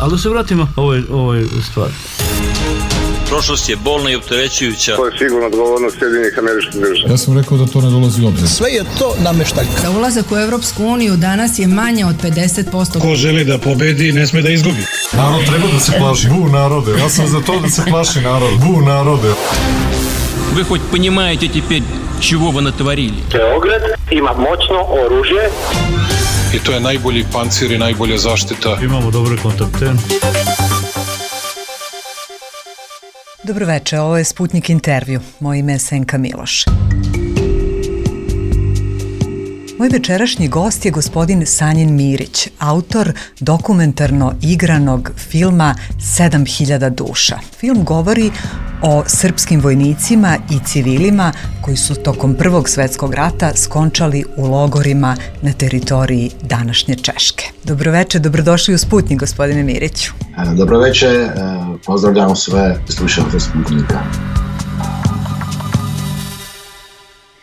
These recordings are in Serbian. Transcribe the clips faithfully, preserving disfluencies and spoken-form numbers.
Ali da se vratimo ovoj, ovoj stvari. Prošlost je bolna i opterećujuća. To je sigurno odgovornost Sjedinjenih Američkih Država. Ja sam rekao da to ne dolazi u obzir. Sve je to nameštaljka. Za ulazak u Evropsku uniju danas je manje od pedeset posto. Ko želi da pobedi, ne sme da izgubi. Narod treba da se plaši. Bu narode. Ja sam za to da se plaši narod. Bu narode. Вы хоть понимаете теперь, чего вы натворили? Beograd ima moćno oružje. I to je najbolji pancir i najbolja zaštita. Imamo dobre kontakte. Dobroveče, ovo je Sputnik intervju. Moje ime je Senka Miloš. Moj večerašnji gost je gospodin Sanjin Mirić, autor dokumentarno igranog filma sedam hiljada duša. Film govori o srpskim vojnicima i civilima koji su tokom Prvog svetskog rata skončali u logorima na teritoriji današnje Češke. Dobroveče, dobrodošli u Sputnik, gospodine Miriću. Dobroveče, pozdravljam sve slušalce Sputnika.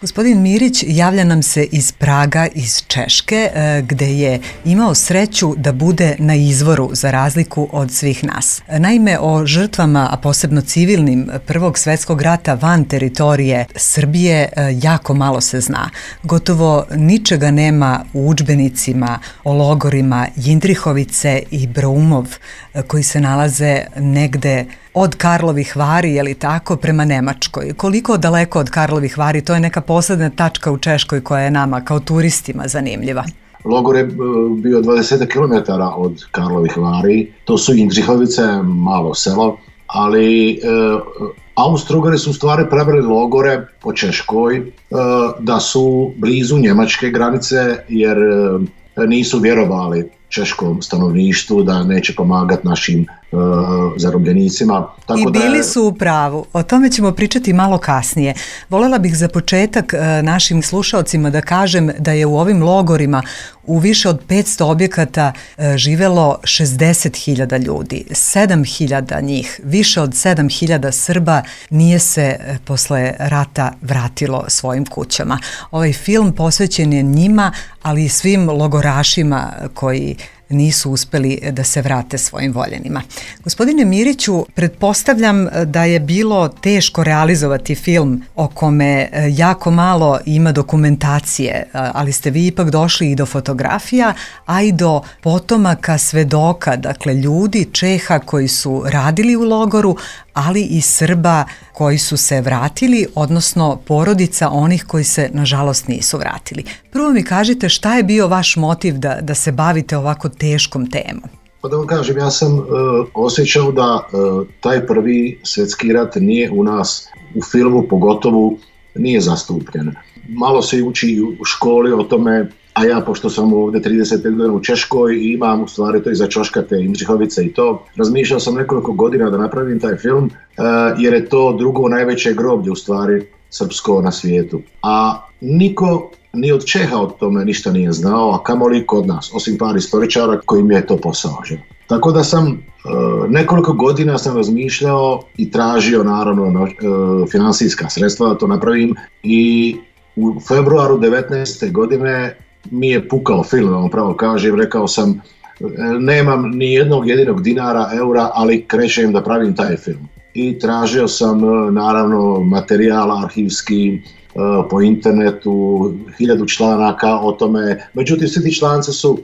Gospodin Mirić javlja nam se iz Praga, iz Češke, gde je imao sreću da bude na izvoru za razliku od svih nas. Naime, o žrtvama, a posebno civilnim, Prvog svetskog rata van teritorije Srbije jako malo se zna. Gotovo ničega nema u udžbenicima o logorima Jindrihovice i Braumov, koji se nalaze negde od Karlovih Vari, je li tako, prema Nemačkoj. Koliko daleko od Karlovih Vari? To je neka posledna tačka u Češkoj koja je nama kao turistima zanimljiva. Logor je bio dvadeset kilometara od Karlovih Vari. To su Jindřihovice, malo selo, ali e, Austro-Ugari su u stvari pravili logore po Češkoj e, da su blizu njemačke granice, jer e, nisu vjerovali češkom stanovništvu da neće pomagati našim uh, zarobljenicima. Tako I bili da je... su u pravu. O tome ćemo pričati malo kasnije. Volela bih za početak uh, našim slušaocima da kažem da je u ovim logorima u više od petsto objekata uh, živelo šezdeset hiljada ljudi. sedam hiljada njih, više od sedam hiljada Srba nije se uh, posle rata vratilo svojim kućama. Ovaj film posvećen je njima, ali i svim logorašima koji nisu uspeli da se vrate svojim voljenima. Gospodine Miriću, pretpostavljam da je bilo teško realizovati film o kome jako malo ima dokumentacije, ali ste vi ipak došli i do fotografija, a i do potomaka svedoka, dakle ljudi Čeha koji su radili u logoru, ali i Srba koji su se vratili, odnosno porodica onih koji se nažalost nisu vratili. Prvo mi kažite šta je bio vaš motiv da, da se bavite ovako teškom temom? Pa da vam kažem, ja sam uh, osjećao da uh, taj prvi svjetski rat nije u nas, u filmu pogotovo, nije zastupljen. Malo se uči u školi o tome, a ja, pošto sam ovdje trideset pet godina u Češkoj i imam u stvari to iza Čoškate, Jindřihovice i to, razmišljao sam nekoliko godina da napravim taj film, uh, jer je to drugo najveće groblje u stvari srpsko na svijetu. A niko ni od Čeha od tome ništa nije znao, a kamoli kod nas, osim par istoričara kojim je to posao. Že? Tako da sam uh, nekoliko godina sam razmišljao i tražio naravno uh, finansijska sredstva da to napravim i u februaru devetnaeste godine mi je pukao film, da vam pravo kažem, rekao sam nemam ni jednog jedinog dinara, eura, ali krećem da pravim taj film. I tražio sam naravno materijal arhivski po internetu, hiljadu članaka o tome, međutim svi ti članci su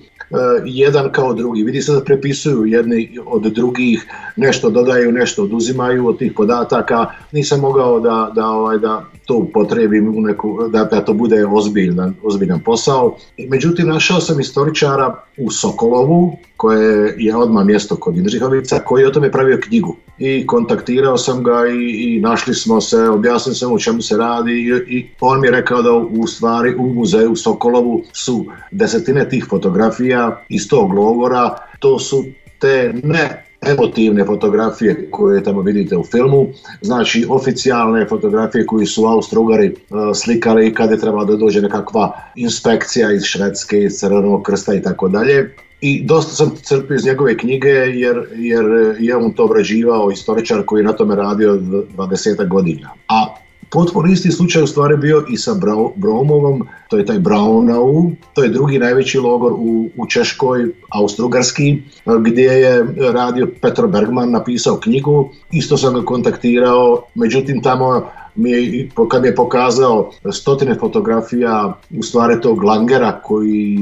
jedan kao drugi, vidi se da prepisuju jedni od drugih, nešto dodaju, nešto oduzimaju od tih podataka, nisam mogao da, da, ovaj, da to upotrebim u neku, da, da to bude ozbiljan, ozbiljan posao. Međutim, našao sam istoričara u Sokolovu, koje je odmah mjesto kod Jindřihovica, koji je o tome pravio knjigu. I kontaktirao sam ga i, i našli smo se, objasnili sam o čemu se radi i, i on mi je rekao da u stvari u muzeju u Sokolovu su desetine tih fotografija iz tog logora. To su te ne emotivne fotografije koje tamo vidite u filmu, znači oficijalne fotografije koje su Austro-Ugari uh, slikali kad je trebalo da dođe nekakva inspekcija iz Švedske, iz Crvenog krsta i tako dalje. I dosta sam crpio iz njegove knjige jer, jer je on to obrađivao, istoričar koji je na tome radio dvadeset godina. A potpuno isti slučaj u stvari bio i sa Bromovom, to je taj Braunau, to je drugi najveći logor u, u Češkoj, Austro-Ugarski, gdje je radio Petro Bergman, napisao knjigu, isto sam ga kontaktirao, međutim tamo mi je, kad mi je pokazao stotine fotografija u stvari tog Langera, koji,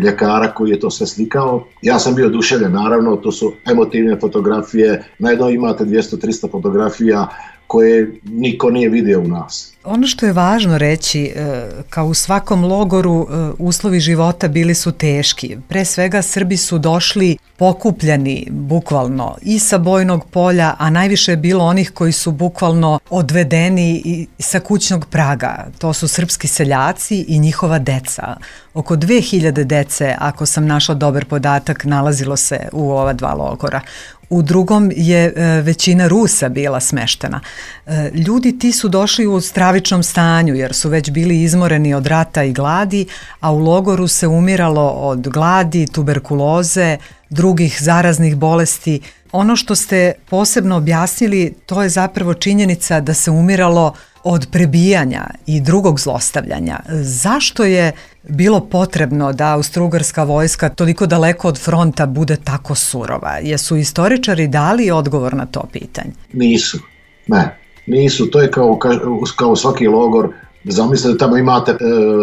ljekara koji je to sve slikao, ja sam bio oduševljen, naravno, to su emotivne fotografije, najedno imate dvjesto do tristo fotografija koje niko nije vidio u nas. Ono što je važno reći, kao u svakom logoru, uslovi života bili su teški. Pre svega Srbi su došli pokupljeni bukvalno i sa bojnog polja, a najviše je bilo onih koji su bukvalno odvedeni i sa kućnog praga. To su srpski seljaci i njihova deca. Oko dve hiljade dece, ako sam našla dobar podatak, nalazilo se u ova dva logora. U drugom je većina Rusa bila smeštena. Ljudi ti su došli u stravičnom stanju jer su već bili izmoreni od rata i gladi, a u logoru se umiralo od gladi, tuberkuloze, drugih zaraznih bolesti. Ono što ste posebno objasnili, to je zapravo činjenica da se umiralo od prebijanja i drugog zlostavljanja. Zašto je bilo potrebno da austrougarska vojska toliko daleko od fronta bude tako surova? Jesu istoričari dali odgovor na to pitanje? Nisu, ne, nisu. To je kao, kao svaki logor. Zamislite da tamo imate e,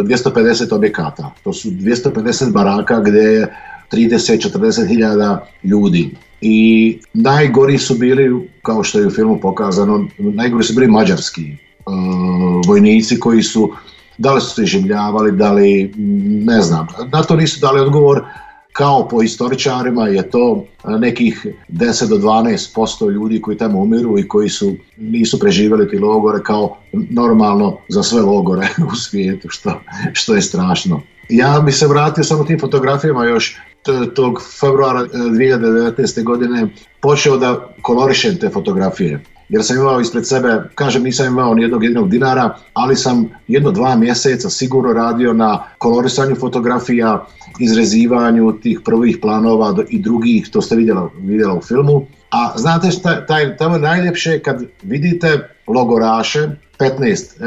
dvjesto pedeset objekata. To su dvjesto pedeset baraka gdje je trideset do četrdeset hiljada ljudi. I najgori su bili, kao što je u filmu pokazano, najgori su bili mađarski uh, vojnici koji su, da li su se življavali, da li, ne znam, na to nisu dali odgovor. Kao po istoričarima je to nekih deset do dvanaest posto ljudi koji tamo umiru i koji su, nisu preživjeli ti logore kao normalno za sve logore u svijetu, što, što je strašno. Ja bi se vratio samo tim fotografijama još tog februara dvije hiljade devetnaeste. godine počeo da kolorišem te fotografije. Jer sam imao ispred sebe, kažem nisam imao nijednog jedinog dinara, ali sam jedno dva mjeseca sigurno radio na kolorisanju fotografija, izrezivanju tih prvih planova i drugih, to ste vidjela, vidjela u filmu. A znate šta, taj, tamo je najljepše kad vidite logoraše, petnaest e,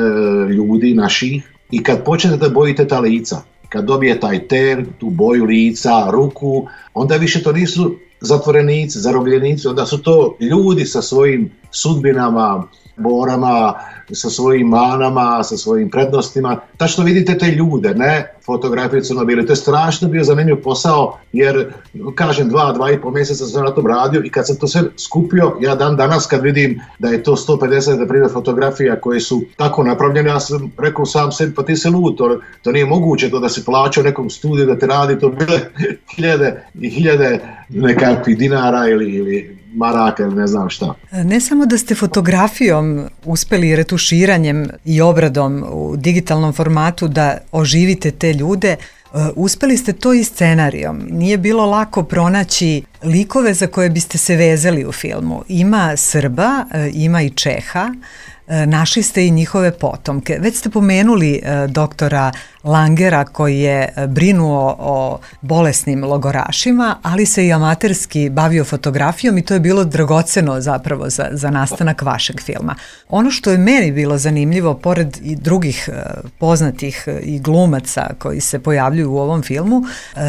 ljudi naših, i kad počnete da bojite ta lica, kad dobije taj ter, tu boju lica, ruku, onda više to nisu zatvorenici, zarobljenici, onda su to ljudi sa svojim sudbinama, borama, sa svojim manama, sa svojim prednostima. Tačno vidite te ljude, ne fotografije crno-bijele. To je strašno bio zanimljiv posao, jer kažem dva, dva i pol mjeseca sam na tom radio i kad sam to sve skupio, ja dan danas kad vidim da je to sto pedeset na primjer fotografija koje su tako napravljene, ja sam rekao sam sebi, pa ti se lud, to, to nije moguće to da se plaća u nekom studiju da te radi, to bile hiljade i hiljade nekakvih dinara ili, ili maraka ili ne znam šta. Ne samo da ste fotografijom uspeli retuširanjem i obradom u digitalnom formatu da oživite te ljude, uspeli ste to i scenarijom. Nije bilo lako pronaći likove za koje biste se vezali u filmu. Ima Srba, ima i Čeha, našli ste i njihove potomke. Već ste pomenuli doktora Langera koji je brinuo o bolesnim logorašima, ali se i amaterski bavio fotografijom i to je bilo dragoceno zapravo za, za nastanak vašeg filma. Ono što je meni bilo zanimljivo, pored i drugih poznatih i glumaca koji se pojavljuju u ovom filmu,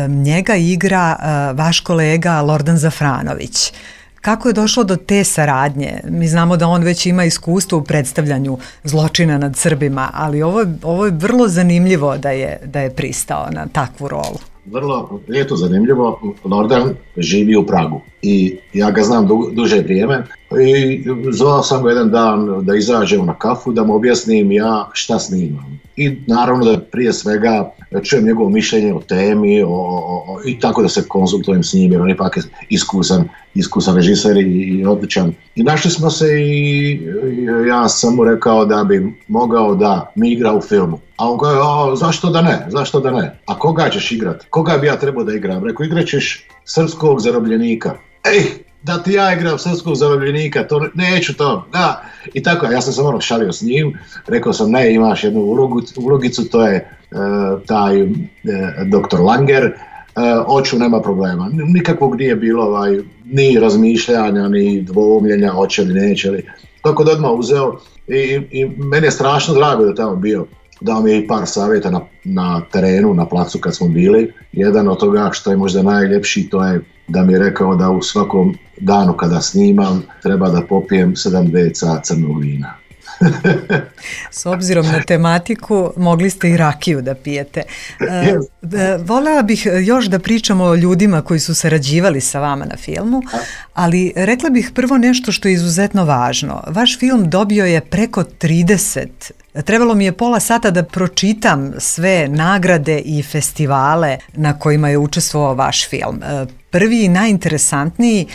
njega igra vaš kolega Lordan Zafranović. Kako je došlo do te saradnje? Mi znamo da on već ima iskustvo u predstavljanju zločina nad Srbima, ali ovo, ovo je vrlo zanimljivo da je, da je pristao na takvu rolu. Vrlo je to zanimljivo. Lordan živi u Pragu i ja ga znam du, duže vrijeme i zvao sam ga jedan dan da izađemo na kafu, da mu objasnim ja šta snimam. I naravno da prije svega čujem njegovo mišljenje o temi o, o, i tako da se konzultujem s njim jer on je ipak iskusan, iskusan režiser i, i odličan. I našli smo se i ja sam mu rekao da bi mogao da mi igra u filmu. A on kaže, zašto da ne, zašto da ne? A koga ćeš igrat? Koga bi ja trebao da igram? Rekao, igraćeš srpskog zarobljenika. Ej, da ti ja igram srpskog zarobljenika, to neću to, da. I tako, ja sam se malo šalio s njim, rekao sam, ne, imaš jednu ulogu, ulogicu, to je e, taj e, doktor Langer, e, oću, nema problema. Nikakvog nije bilo ovaj, ni razmišljanja, ni dvoumljenja, hoće li, neće li. Tako da odmah uzeo I, i meni je strašno drago da tamo bio. Dao mi je i par savjeta na, na terenu, na placu kad smo bili. Jedan od toga što je možda najljepši, to je da mi je rekao da u svakom danu kada snimam treba da popijem sedam deca crnog vina. S obzirom na tematiku, mogli ste i rakiju da pijete. E, volela bih još da pričamo o ljudima koji su sarađivali sa vama na filmu, ali rekla bih prvo nešto što je izuzetno važno. Vaš film dobio je preko trideset. Trebalo mi je pola sata da pročitam sve nagrade i festivale na kojima je učestvovao vaš film. Prvi i najinteresantniji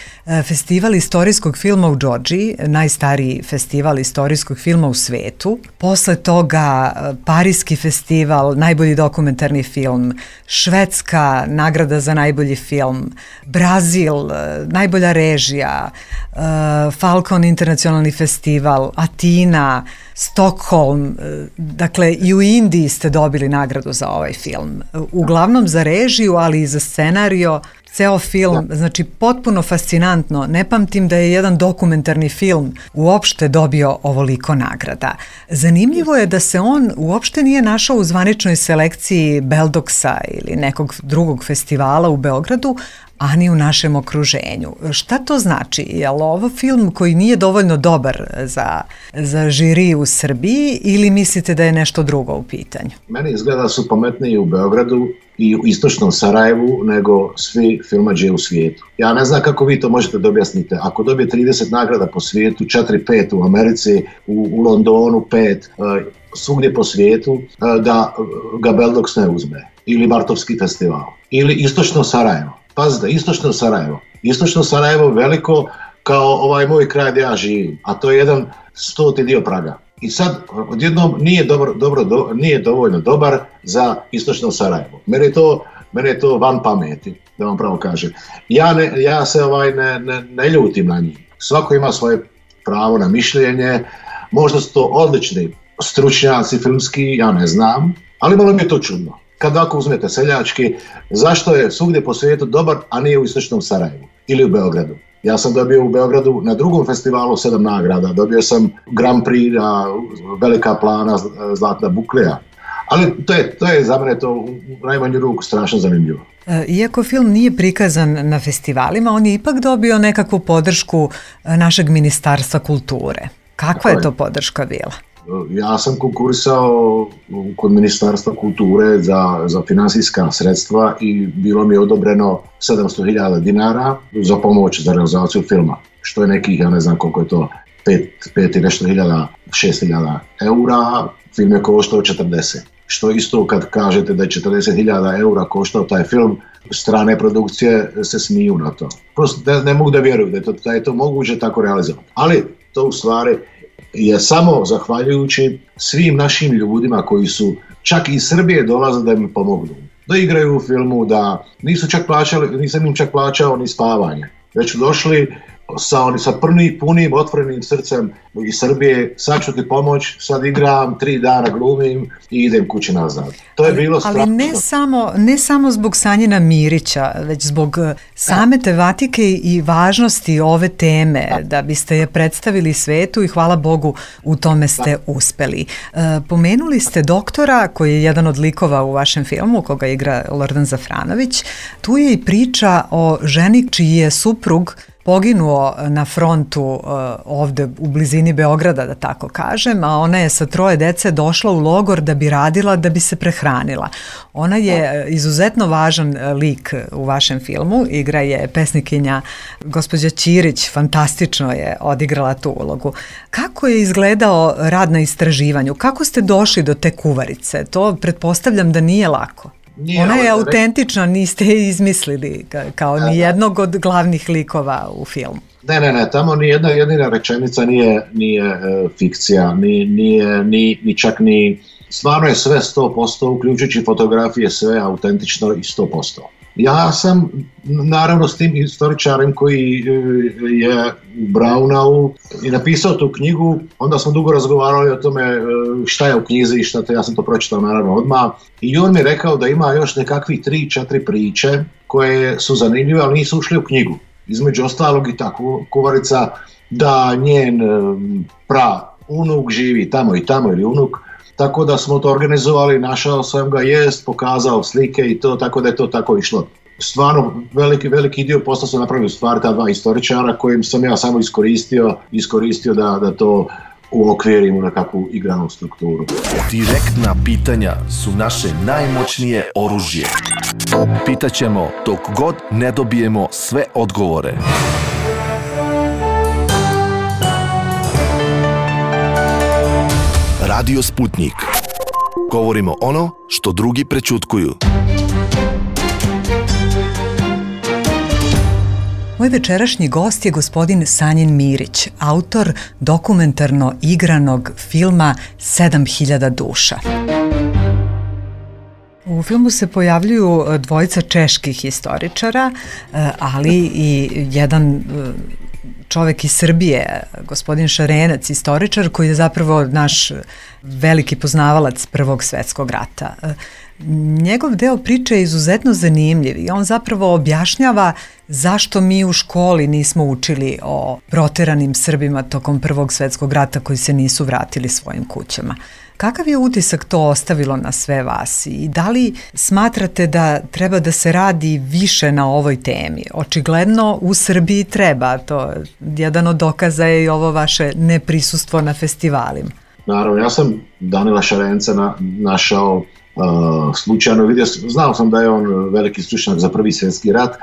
festival istorijskog filma u Džordžiji, najstariji festival istorijskog filma u svetu. Posle toga Parijski festival, najbolji dokumentarni film, Švedska nagrada za najbolji film, Brazil, najbolja režija, Falcon internacionalni festival, Atina, Stockholm, dakle i u Indiji ste dobili nagradu za ovaj film. Uglavnom za režiju, ali i za scenario. Ceo film, znači potpuno fascinantno, ne pamtim da je jedan dokumentarni film uopšte dobio ovoliko nagrada. Zanimljivo je da se on uopšte nije našao u zvaničnoj selekciji Beldoksa ili nekog drugog festivala u Beogradu, a ni u našem okruženju. Šta to znači? Je li ovo film koji nije dovoljno dobar za, za žiri u Srbiji ili mislite da je nešto drugo u pitanju? Meni izgleda su pametniji u Beogradu i u istočnom Sarajevu nego svi filmađe u svijetu. Ja ne znam kako vi to možete da objasnite. Ako dobije trideset nagrada po svijetu, četiri pet u Americi, u, u Londonu pet, uh, svugdje po svijetu, uh, da ga Beldoks ne uzme. Ili Bartovski festival. Ili istočno Sarajevo. Pazite, istočno Sarajevo. Istočno Sarajevo veliko kao ovaj moj kraj gdje ja živim, a to je jedan stoti dio Praga. I sad odjednom nije, dobro, dobro, do, nije dovoljno dobar za istočno Sarajevo. Mene je to, mene je to van pameti, da vam pravo kažem. Ja, ne, ja se ovaj ne, ne, ne ljutim na njih. Svako ima svoje pravo na mišljenje, možda su to odlični stručnjaci filmski, ja ne znam, ali malo mi je to čudno. Kad ako uzmete seljački, zašto je svugdje po svijetu dobar, a nije u istočnom Sarajevu ili u Beogradu? Ja sam dobio u Beogradu na drugom festivalu sedam nagrada, dobio sam Grand Prix, Velika plana, Zlatna buklija. Ali to je, to je za mene to u najmanju ruku strašno zanimljivo. Iako film nije prikazan na festivalima, on je ipak dobio nekakvu podršku našeg Ministarstva kulture. Kakva je to podrška bila? Ja sam konkurisao kod Ministarstva kulture za, za finansijska sredstva i bilo mi je odobreno sedamsto hiljada dinara za pomoć za realizaciju filma, što je nekih, ja ne znam koliko je to, pet i nešto hiljada, šest hiljada eura, film je koštao četrdeset. Što isto kad kažete da je četrdeset hiljada eura koštao taj film, strane produkcije se smiju na to. Prosto ne, ne mogu da vjeruju da je, to, da je to moguće tako realizovati. Ali to u stvari je samo zahvaljujući svim našim ljudima koji su čak iz Srbije dolaze da mi pomognu. Da igraju u filmu, da nisu čak plaćali, nisam im čak plaćao ni spavanje. Već su došli sa, oni, sa prni, punim, otvorenim srcem iz Srbije, sad ću ti pomoć, sad igram, tri dana glumim i idem kući nazad. To je bilo strašno. Ali ne samo, ne samo zbog Sanjina Mirića, već zbog same tematike i važnosti ove teme, da, da biste je predstavili svetu i hvala Bogu u tome ste da. uspeli. E, pomenuli ste doktora koji je jedan od likova u vašem filmu, koga igra Lordan Zafranović. Tu je i priča o ženi čiji je suprug poginuo na frontu uh, ovde u blizini Beograda, da tako kažem, a ona je sa troje dece došla u logor da bi radila, da bi se prehranila. Ona je izuzetno važan lik u vašem filmu, igra je pesnikinja gospođa Ćirić, fantastično je odigrala tu ulogu. Kako je izgledao rad na istraživanju? Kako ste došli do te kuvarice? To pretpostavljam da nije lako. Nije, ona je autentična, niste je izmislili kao ni jednog od glavnih likova u filmu. Ne, ne, ne, tamo ni jedna jedina rečenica nije, nije e, fikcija, ni, nije, ni, ni čak ni, stvarno je sve sto posto, uključujući fotografije, sve autentično i sto posto. Ja sam naravno s tim istoričarem koji je u Braunau i napisao tu knjigu, onda smo dugo razgovarali o tome šta je u knjizi i šta te, ja sam to pročitao naravno odmah i on mi je rekao da ima još nekakvih tri, četiri priče koje su zanimljive, ali nisu ušli u knjigu. Između ostalog i ta kuvarica da njen pra unuk živi tamo i tamo ili unuk, tako da smo to organizovali, našao sam ga, jest, pokazao slike i to, tako da je to tako išlo. Stvarno, veliki, veliki dio posla su napravili u stvari ta dva istoričara kojim sam ja samo iskoristio, iskoristio da, da to uokvirim u nekakvu igranu strukturu. Direktna pitanja su naše najmoćnije oružje. Pitaćemo dok god ne dobijemo sve odgovore. Radio Sputnik. Govorimo ono što drugi prećutkuju. Moj večerašnji gost je gospodin Sanjin Mirić, autor dokumentarno igranog filma sedam hiljada duša. U filmu se pojavljuju dvojica čeških historičara, ali i jedan čovek iz Srbije, gospodin Šarenac, istoričar koji je zapravo naš veliki poznavalac Prvog svetskog rata. Njegov deo priče je izuzetno zanimljiv i on zapravo objašnjava zašto mi u školi nismo učili o proteranim Srbima tokom Prvog svetskog rata koji se nisu vratili svojim kućama. Kakav je utisak to ostavilo na sve vas i da li smatrate da treba da se radi više na ovoj temi? Očigledno u Srbiji treba, to jedan od dokaza je i ovo vaše neprisustvo na festivalima. Naravno, ja sam Danila Šarenca na, našao uh, slučajno, vidio, znao sam da je on veliki stručnjak za Prvi svjetski rat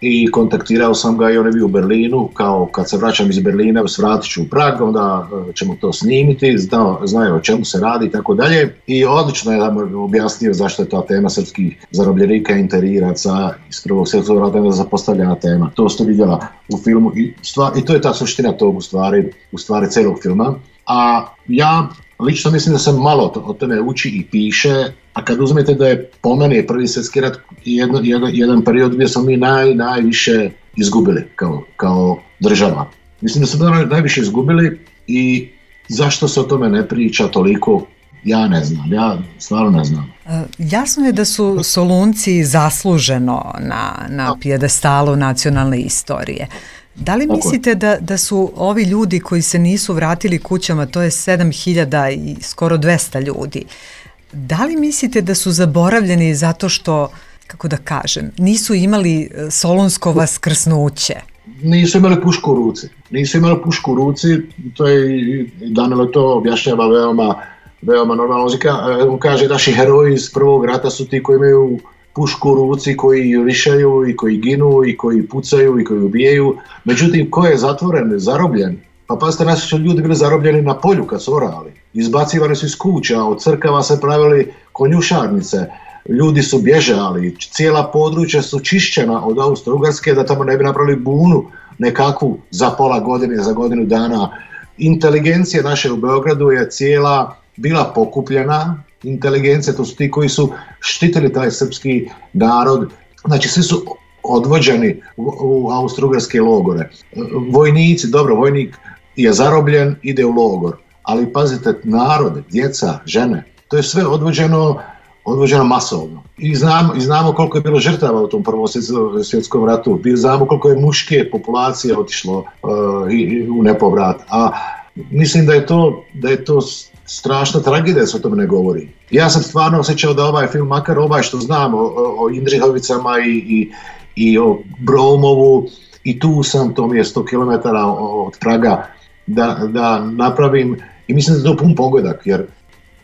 i kontaktirao sam ga i on je bio u Berlinu, kao kad se vraćam iz Berlina, svratit ću u Prag, onda ćemo to snimiti, znao, znaju o čemu se radi i tako dalje. I odlično je nam objasnio zašto je ta tema srpskih zarobljenika, interiraca iz Prvog svjetskog rata zapostavljena tema. To ste vidjela u filmu i, stvar, i to je ta suština tog u stvari, u stvari celog filma. A ja lično mislim da sam malo o tome uči i piše, a kad uzmete da je po meni Prvi svjetski rat jedan, jedan, jedan period gdje smo mi naj, najviše izgubili kao, kao država. Mislim da smo najviše izgubili i zašto se o tome ne priča toliko, ja ne znam, ja stvarno ne znam. Jasno je da su Solunci zasluženo na, na pijedestalu nacionalne istorije. Da li mislite da, da su ovi ljudi koji se nisu vratili kućama, to je sedam hiljada i skoro dvesta ljudi, da li mislite da su zaboravljeni zato što, kako da kažem, nisu imali solunsko vaskrsnuće? Nisu imali pušku u ruci. Nisu imali pušku u ruci, to je, Danilo to objašnjava veoma, veoma normalno. On kaže, naši heroji iz Prvog rata su ti koji imaju pušku u ruci, koji rišaju i koji ginu i koji pucaju i koji ubijaju. Međutim, ko je zatvoren, zarobljen? Pa pazite, naši su ljudi bili zarobljeni na polju kad su orali. Izbacivani su iz kuća, od crkava se pravili konjušarnice. Ljudi su bježali, cijela područja su čišćena od Austro-Ugarske da tamo ne bi napravili bunu nekakvu za pola godine, za godinu dana. Inteligencija naše u Beogradu je cijela bila pokupljena. Inteligencija, to su ti koji su štitili taj srpski narod. Znači, svi su odvođeni u, u Austro-Ugarske logore. Vojnici, dobro, vojnik je zarobljen, ide u logor. Ali pazite, narod, djeca, žene, to je sve odvođeno, odvođeno masovno. I znamo, i znamo koliko je bilo žrtava u tom Prvom svjetskom ratu. I znamo koliko je muške populacije otišlo uh, i, u nepovrat. A mislim da je to, da je to strašna tragedija da se o tome ne govori. Ja sam stvarno osjećao da ovaj film, makar ovaj što znam o, o Indrihovicama i, i, i o Bromovu, i tu sam, to mi je sto kilometara od Praga, da, da napravim, i mislim da je to pun pogodak, jer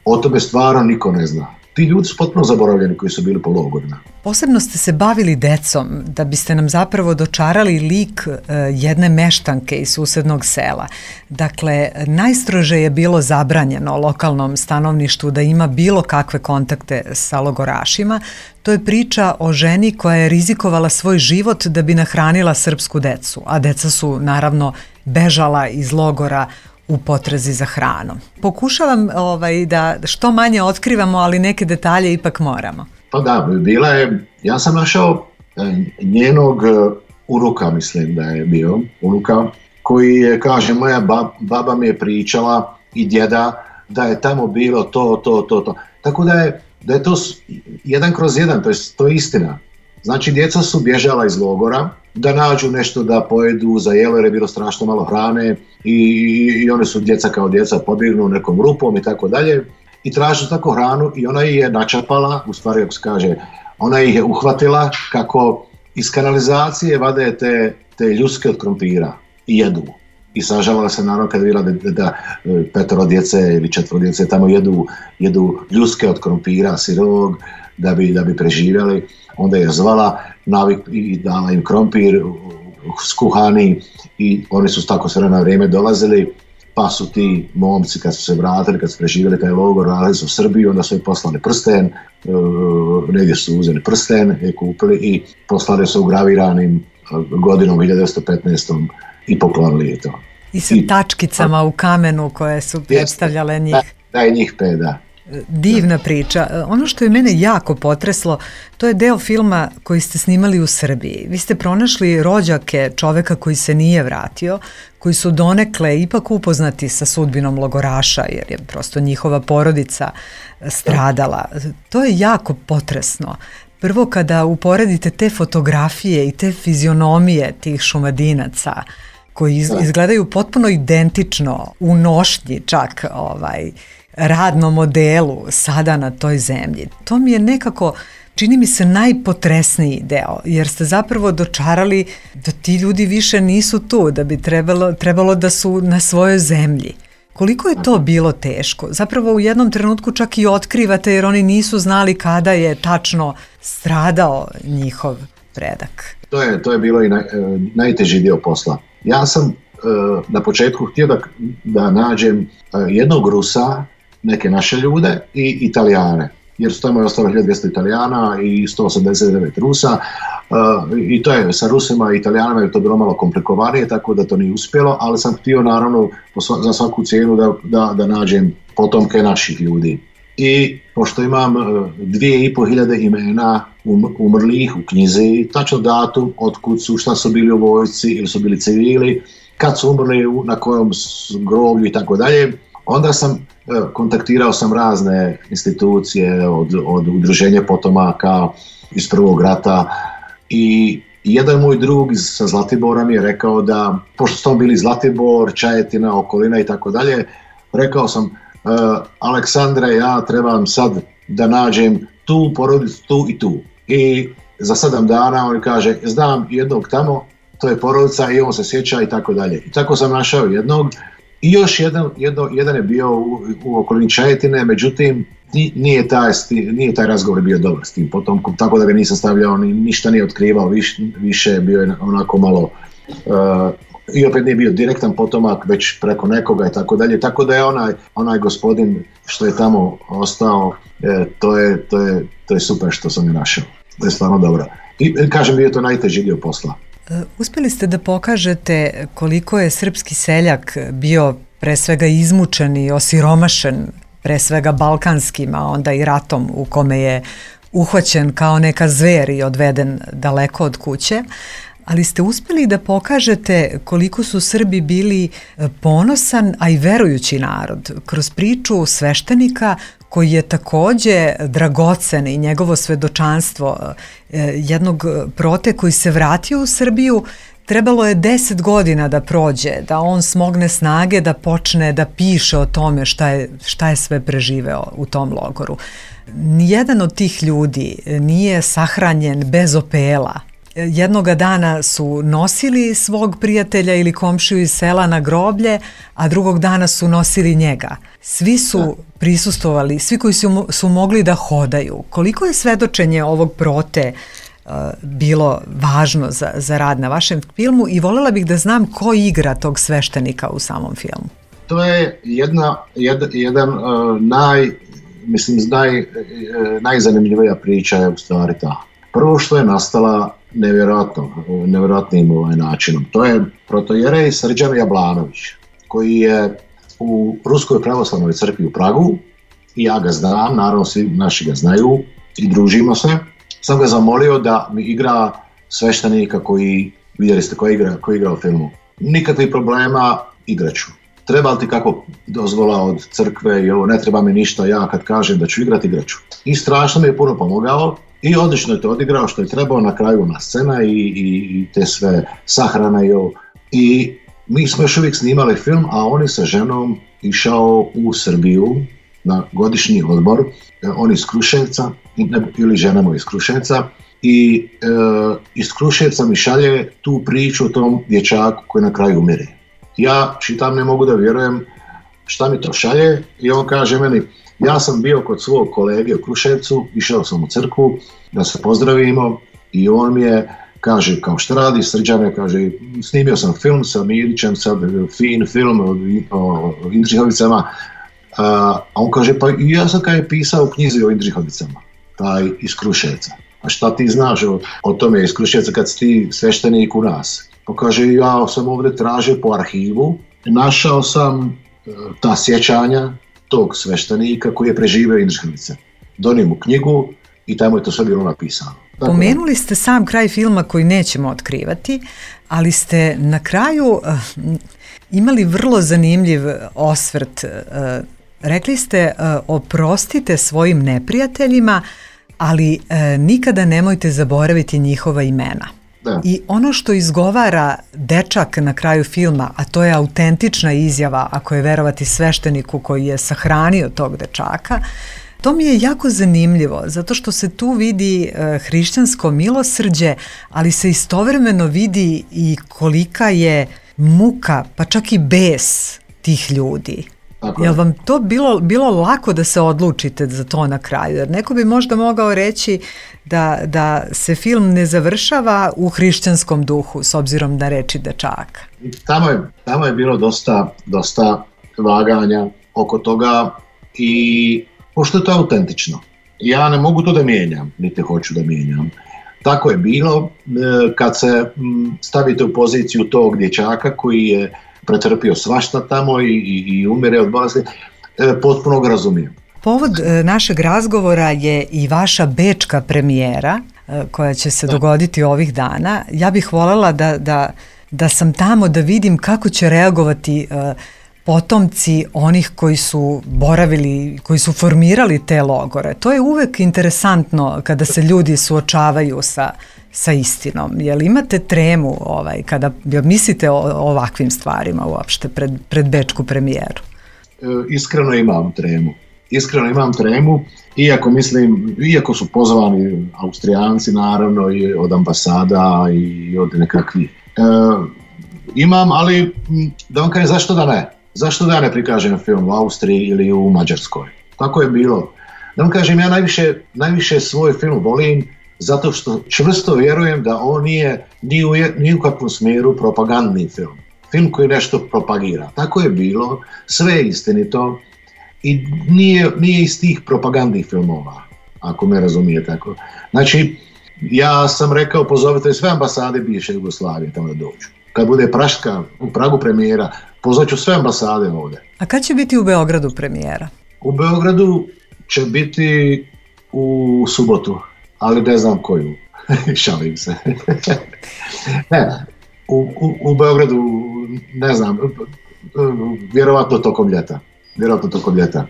o tome stvarno niko ne zna. Ti ljudi su potpuno zaboravljeni koji su bili po logorima. Posebno ste se bavili decom, da biste nam zapravo dočarali lik jedne meštanke iz susednog sela. Dakle, najstrože je bilo zabranjeno lokalnom stanovništvu da ima bilo kakve kontakte sa logorašima. To je priča o ženi koja je rizikovala svoj život da bi nahranila srpsku decu, a deca su naravno bežala iz logora u potrazi za hranom. Pokušavam ovaj, da što manje otkrivamo, ali neke detalje ipak moramo. Pa da, bila je, ja sam našao njenog unuka, mislim da je bio unuka, koji je, kaže, moja bab, baba mi je pričala i djeda da je tamo bilo to, to, to, to. Tako da je, da je to jedan kroz jedan, to je, to je istina. Znači, djeca su bježala iz logora, da nađu nešto da pojedu za jelo jer je bilo strašno malo hrane i, i oni su djeca kao djeca pobjegnu nekom rupom i tako dalje i tražu tako hranu i ona ih je načapala, u stvari kako se kaže, ona ih je uhvatila kako iz kanalizacije vade te, te ljuske od krompira i jedu. I sažalila se naravno kad vidjela da, da, da petoro djece ili četvoro djece tamo jedu, jedu ljuske od krompira sirovog da bi, da bi preživjeli. Onda je zvala navik i dala im krompir skuhani i oni su tako sve na vrijeme dolazili, pa su ti momci kad su se vratili, kad su preživjeli taj logor, radili su u Srbiju, onda su im poslali prsten, uh, negdje su uzeli prsten, je kupili i poslali su ugraviranim uh, godinom hiljadu devetsto petnaeste. i poklonili je to. I sa I, tačkicama a, u kamenu koje su predstavljale njih. Da, da je njih pet, da. Divna priča. Ono što je mene jako potreslo, to je deo filma koji ste snimali u Srbiji. Vi ste pronašli rođake čoveka koji se nije vratio, koji su donekle ipak upoznati sa sudbinom logoraša, jer je prosto njihova porodica stradala. To je jako potresno. Prvo kada uporedite te fotografije i te fizionomije tih Šumadinaca, koji iz, izgledaju potpuno identično u nošnji čak ovaj, radnom modelu sada na toj zemlji. To mi je nekako, čini mi se, najpotresniji deo, jer ste zapravo dočarali da ti ljudi više nisu tu, da bi trebalo, trebalo da su na svojoj zemlji. Koliko je to bilo teško? Zapravo u jednom trenutku čak i otkrivate jer oni nisu znali kada je tačno stradao njihov predak. To je, to je bilo i naj, najteži dio posla. Ja sam uh, na početku htio da, da nađem uh, jednog Rusa, neke naše ljude i Italijane, jer su tamo je ostalo hiljadu dvjesto Italijana i sto osamdeset devet Rusa uh, i to je sa Rusima i Italijanima je to bilo malo komplikovanije, tako da to nije uspjelo, ali sam htio naravno za svaku cijenu da, da, da nađem potomke naših ljudi. I pošto imam uh, dvije i po hiljade imena um, umrlih u knjizi, tačno datum, otkud su, šta su bili u vojsci ili su bili civili, kad su umrli, na kojom groblju i tako dalje, onda sam kontaktirao sam razne institucije od, od udruženja potomaka iz Prvog rata i jedan moj drug iz, sa Zlatibora mi je rekao da, pošto smo bili Zlatibor, Čajetina, okolina i tako dalje, rekao sam, uh, Aleksandre, ja trebam sad da nađem tu porodicu, tu i tu. I za sedam dana on kaže, znam jednog tamo, to je porodica i on se sjeća i tako dalje. I tako sam našao jednog. I još jedan, jedno, jedan je bio u, u okolini Čajetine, međutim nije taj, nije taj razgovor bio dobar s tim potomkom, tako da ga nisam stavljao, ni, ništa nije otkrivao, viš, više bio je onako malo, uh, i opet nije bio direktan potomak, već preko nekoga i tako dalje, tako da je onaj, onaj gospodin što je tamo ostao, e, to, je, to, je, to je super što sam je našao, to je stvarno dobro. I kažem, bio je to najteži dio posla. Uspjeli ste da pokažete koliko je srpski seljak bio pre svega izmučen i osiromašen, pre svega balkanskim, a onda i ratom u kome je uhvaćen kao neka zver i odveden daleko od kuće, ali ste uspjeli da pokažete koliko su Srbi bili ponosan, a i verujući narod, kroz priču sveštenika koji je takođe dragocen i njegovo svedočanstvo jednog prote koji se vratio u Srbiju. Trebalo je deset godina da prođe, da on smogne snage, da počne da piše o tome šta je, šta je sve preživeo u tom logoru. Nijedan od tih ljudi nije sahranjen bez opela. Jednoga dana su nosili svog prijatelja ili komšiju iz sela na groblje, a drugog dana su nosili njega. Svi su prisustvovali, svi koji su, su mogli da hodaju. Koliko je svedočenje ovog prote uh, bilo važno za, za rad na vašem filmu i voljela bih da znam ko igra tog sveštenika u samom filmu? To je jedna, jed, jedan uh, naj, mislim, naj, uh, najzanimljivija priča je u stvari ta. Prvo što je nastala nevjerojatno, nevjerojatnim ovaj načinom. To je protojerej Srđan Jablanović, koji je u Ruskoj pravoslavnoj crkvi u Pragu i ja ga znam, naravno svi naši ga znaju i družimo se. Sam ga zamolio da mi igra sveštenika koji, vidjeli ste koji igra, koji igra u filmu. Nikakvih problema, igraću. treba li ti kako dozvola od crkve i ovo, ne treba mi ništa, ja kad kažem da ću igrati, igrat ću. I strašno mi je puno pomogao i odlično je to odigrao što je trebao, na kraju na scena i, i, i te sve sahrana i ovo. I mi smo još uvijek snimali film, a on je sa ženom išao u Srbiju na godišnji odmor, on iz Kruševca, ili žena mu iz Kruševca, i e, iz Kruševca mi šalje tu priču o tom dječaku koji na kraju umire. Ja čitam, ne mogu da vjerujem šta mi to šalje i on kaže meni, ja sam bio kod svog kolege u Kruševcu, išao sam u crkvu da se pozdravimo i on mi je, kaže, kao šta radi Srđane, kaže, snimio sam film sa Mirićem, sad fin film o, o Indrihovicama, a on kaže, pa ja sam kada je pisao u knjizi o Indrihovicama, taj iz Kruševca. A šta ti znaš o, o tome iz Kruševca kad si ti sveštenik u nas? Pa kaže, ja sam ovdje tražio po arhivu, našao sam e, ta sjećanja tog sveštenika koji je preživio Indrihovice. Donio mu knjigu i tamo je to sve bilo napisano. Dakle, pomenuli ste sam kraj filma koji nećemo otkrivati, ali ste na kraju uh, imali vrlo zanimljiv osvrt. Uh, rekli ste, uh, oprostite svojim neprijateljima, ali uh, nikada nemojte zaboraviti njihova imena. Da. I ono što izgovara dečak na kraju filma, a to je autentična izjava, ako je verovati svešteniku koji je sahranio tog dečaka, to mi je jako zanimljivo, zato što se tu vidi e, hrišćansko milosrđe, ali se istovremeno vidi i kolika je muka, pa čak i bes tih ljudi. Tako je. Jel vam to bilo, bilo lako da se odlučite za to na kraju? Jer neko bi možda mogao reći da, da se film ne završava u hrišćanskom duhu, s obzirom na reči dečaka. Tamo je, tamo je bilo dosta, dosta vaganja oko toga i pošto je to autentično. Ja ne mogu to da mijenjam, niti hoću da mijenjam. Tako je bilo kad se stavite u poziciju tog dječaka koji je pretrpio svašta tamo i, i, i umire od bolesti, potpuno ga razumijem. Povod našeg razgovora je i vaša bečka premijera koja će se da. dogoditi ovih dana. Ja bih voljela da, da, da sam tamo da vidim kako će reagovati uh, potomci onih koji su boravili, koji su formirali te logore. To je uvek interesantno kada se ljudi suočavaju sa, sa istinom. Jel imate tremu ovaj, kada mislite o, o ovakvim stvarima uopšte pred, pred bečku premijeru? E, iskreno imam tremu. Iskreno imam tremu, iako mislim, iako su pozvani Austrijanci naravno i od ambasada i od nekakvih. E, imam, ali da vam kažem zašto da ne? Zašto da ja ne prikažem film u Austriji ili u Mađarskoj? Tako je bilo. Da vam kažem, ja najviše, najviše svoj film volim zato što čvrsto vjerujem da on nije ni u, ni u kakvom smjeru propagandni film. Film koji nešto propagira. Tako je bilo, sve je istinito i nije, nije iz tih propagandnih filmova, ako me razumije tako. Znači, ja sam rekao, pozovite sve ambasade bivše Jugoslavije tamo da dođu. Kad bude Praška u Pragu premijera, pozvaću sve ambasade ovdje. A kad će biti u Beogradu premijera? U Beogradu će biti u subotu, ali ne znam koju. Šalim se. ne, u, u, u Beogradu, ne znam, vjerovatno tokom ljeta. Vjerovatno tokom ljeta.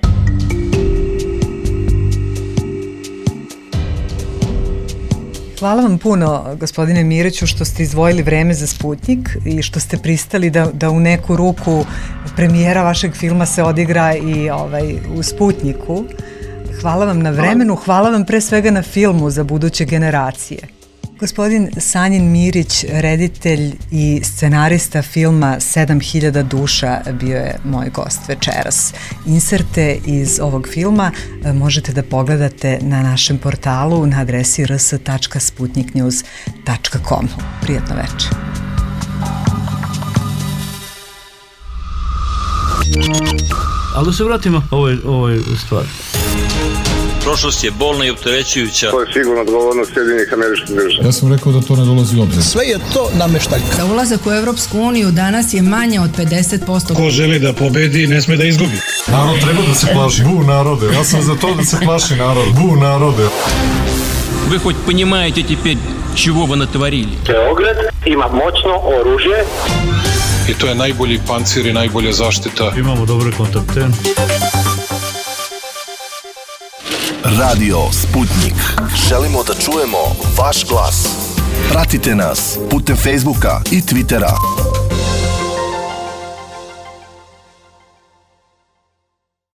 Hvala vam puno, gospodine Miriću, što ste izdvojili vreme za Sputnjik i što ste pristali da, da u neku ruku premijera vašeg filma se odigra i ovaj, u Sputnjiku. Hvala vam na vremenu, hvala vam pre svega na filmu za buduće generacije. Gospodin Sanjin Mirić, reditelj i scenarista filma sedam hiljada duša, bio je moj gost večeras. Inserte iz ovog filma možete da pogledate na našem portalu na adresi r s tačka sputnik news tačka com. Prijatno večer. Ali da se vratimo ovoj, ovoj stvari. Prošlost je bolna i opterećujuća. To je sigurno odgovornost Sjedinjenih Američkih Država. Ja sam rekao da to ne dolazi u obzir. Sve je to nameštaljka. Za ulazak u Evropsku uniju danas je manje od pedeset posto. Ko želi da pobedi, ne sme da izgubi. Narod treba da se plaši. Bu narode. Ja sam za to da se plaši narod. Bu narode. Вы хоть понимаете теперь, чего вы натворили? Beograd ima moćno oružje. I to je najbolji pancir i najbolja zaštita. Imamo dobre kontakte. Radio Sputnik. Želimo da čujemo vaš glas. Pratite nas putem Facebooka i Twittera.